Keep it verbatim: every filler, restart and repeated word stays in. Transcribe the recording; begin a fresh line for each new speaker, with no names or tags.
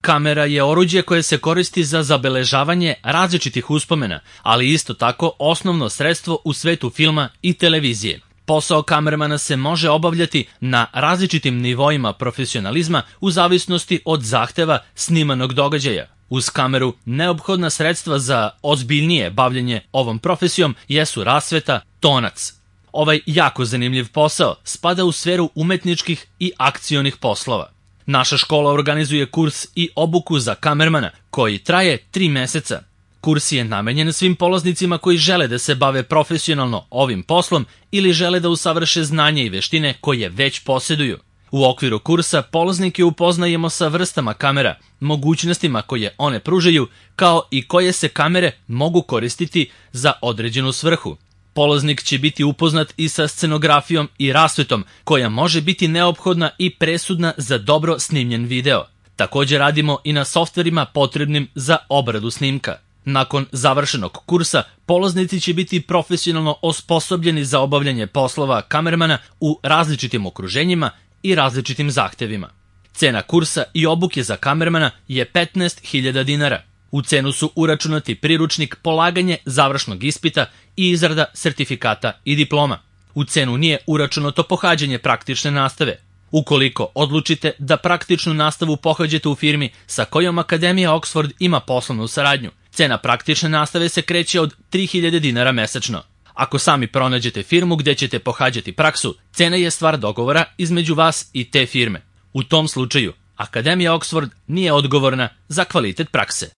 Kamera je oruđe koje se koristi za zabeležavanje različitih uspomena, ali isto tako osnovno sredstvo u svetu filma i televizije. Posao kamermana se može obavljati na različitim nivoima profesionalizma u zavisnosti od zahteva snimanog događaja. Uz kameru neophodna sredstva za ozbiljnije bavljenje ovom profesijom jesu rasveta, tonac. Ovaj jako zanimljiv posao spada u sferu umetničkih i akcionih poslova. Naša škola organizuje kurs i obuku za kamermana koji traje tri meseca. Kurs je namenjen svim polaznicima koji žele da se bave profesionalno ovim poslom ili žele da usavrše znanje i veštine koje već posjeduju. U okviru kursa polaznike upoznajemo sa vrstama kamera, mogućnostima koje one pružaju, kao i koje se kamere mogu koristiti za određenu svrhu. Polaznik će biti upoznat i sa scenografijom i rasvetom, koja može biti neophodna i presudna za dobro snimljen video. Također radimo i na softverima potrebnim za obradu snimka. Nakon završenog kursa, polaznici će biti profesionalno osposobljeni za obavljanje poslova kamermana u različitim okruženjima i različitim zahtevima. Cena kursa i obuke za kamermana je petnaest hiljada dinara. U cenu su uračunati priručnik, polaganje završnog ispita i izrada sertifikata i diploma. U cenu nije uračunato pohađanje praktične nastave. Ukoliko odlučite da praktičnu nastavu pohađate u firmi sa kojom Akademija Oxford ima poslovnu saradnju, cena praktične nastave se kreće od tri hiljade dinara mesečno. Ako sami pronađete firmu gde ćete pohađati praksu, cena je stvar dogovora između vas i te firme. U tom slučaju, Akademija Oxford nije odgovorna za kvalitet prakse.